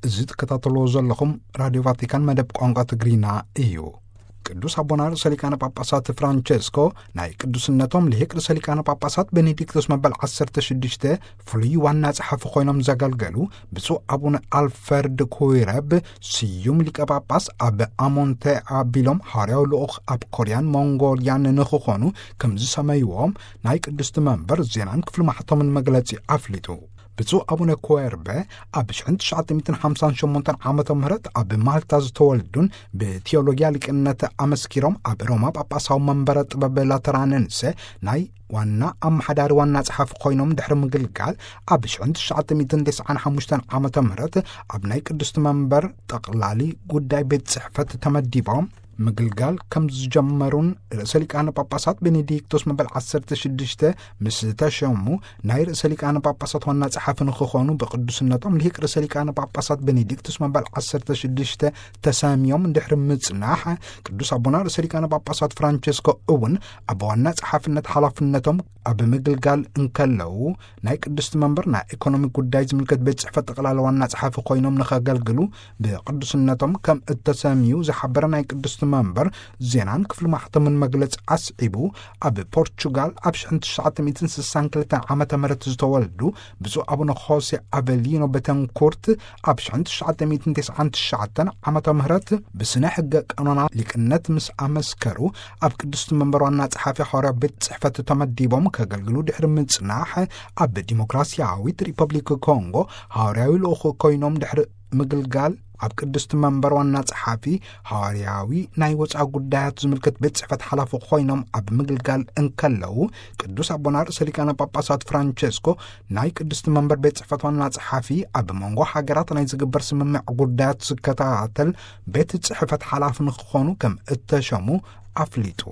እዚ ትከታተልዎ ዘለኹም ራድዮ ቫቲካን መደብ ቋንቋ ትግርኛ እዩ። ቅዱስ ኣቦና ርእሰ ሊቃነ ጳጳሳት ፍራንቸስኮ ናይ ቅዱስነቶም ልሂቅ ርእሰ ሊቃነ ጳጳሳት ቤኔዲክቶስ መበል ዓሰርተ ሽዱሽተ ፍሉይ ዋና ጸሓፊ ኮይኖም ዘገልገሉ ብፁዕ ኣቡነ ኣልፈርድ ኩይረብ፣ ስዩም ሊቀ ጳጳስ ኣብ ኣሞንቴ ኣቢሎም ሃዋርያዊ ልኡኽ ኣብ ኮርያን ሞንጎልያን ንኽኾኑ ከም ዝሰመይዎም ናይ ቅድስቲ መንበር ዜናን ክፍሊ ማሕተምን መግለጺ ኣፍሊጡ። ብፁዕ ኣቡነ ኮየርበ ኣብ ሽሕን ትሽዓተ ሚእትን ሓምሳን ሸሞንተን ዓመተ ምህረት ኣብ ማልታ ዝተወልዱን ብቴዎሎጊያ ሊቅነት ኣመስኪሮም ኣብ ሮማ ጳጳሳዊ መንበረ ጥበብ ላተራንንሰ ናይ ዋና ኣመሓዳሪ ዋና ጸሓፊ ኮይኖም ድሕሪ ምግልጋል፣ ኣብ ሽሕን ትሽዓተ ሚእትን ተስዓን ሓሙሽተን ዓመተ ምህረት ኣብ ናይ ቅድስቲ መንበር ጠቕላሊ ጉዳይ ቤት ጽሕፈት ተመዲቦም ምግልጋል ከም ዝጀመሩን፣ ርእሰ ሊቃነ ጳጳሳት ቤኔዲክቶስ መበል ዓሰርተ ሽዱሽተ ምስ ተሸሙ ናይ ርእሰ ሊቃነ ጳጳሳት ዋና ጸሓፊ ንኽኾኑ ብቅዱስነቶም ልሂቅ ርእሰ ሊቃነ ጳጳሳት ቤኔዲክቶስ መበል ዓሰርተ ሽዱሽተ ተሰምዮም ድሕሪ ምጽናሕ፣ ቅዱስ ኣቦና ርእሰ ሊቃነ ጳጳሳት ፍራንቸስኮ እውን ኣብ ዋና ጸሓፍነት ሓላፍነቶም ኣብ ምግልጋል እንከለዉ፣ ናይ ቅድስቲ መንበር ናይ ኢኮኖሚ ጉዳይ ዝምልከት ቤት ጽሕፈት ጠቕላላ ዋና ጸሓፊ ኮይኖም ንኸገልግሉ ብቅዱስነቶም ከም እተሰምዩ ዝሓበረ ናይ ቅድስቲ መንበር ዜናን ክፍሊ ማሕተምን መግለጺ ኣስዒቡ፣ ኣብ ፖርቹጋል ኣብ ሽሕን ትሽዓተ ሚእትን ስሳን ክልተን ዓመተ ምህረት ዝተወልዱ ብፁዕ ኣቡነ ሆሴ ኣቨሊኖ ቤተንኩርት፣ ኣብ ሽሕን ትሽዓተ ሚእትን ተስዓን ትሽዓተን ዓመተ ምህረት ብስነ ሕገ ቀኖና ሊቅነት ምስ ኣመስከሩ፣ ኣብ ቅድስቲ መንበር ዋና ጸሓፊ ሃዋርያ ቤት ጽሕፈት ተመዲቦም ከገልግሉ ድሕሪ ምጽናሕ፣ ኣብ ዲሞክራሲያዊት ሪፐብሊክ ኮንጎ ሃዋርያዊ ልኡኽ ኮይኖም ድሕሪ ምግልጋል፣ ኣብ ቅድስቲ መንበር ዋና ጸሓፊ ሃዋርያዊ ናይ ወጻኢ ጉዳያት ዝምልከት ቤት ጽሕፈት ሓላፊ ኮይኖም ኣብ ምግልጋል እንከለዉ፣ ቅዱስ ኣቦና ርእሰ ሊቃነ ጳጳሳት ፍራንቸስኮ ናይ ቅድስቲ መንበር ቤት ጽሕፈት ዋና ጸሓፊ ኣብ መንጎ ሃገራት ናይ ዝግበር ስምምዕ ጉዳያት ዝከታተል ቤት ጽሕፈት ሓላፊ ንክኾኑ ከም እተሸሙ ኣፍሊጡ።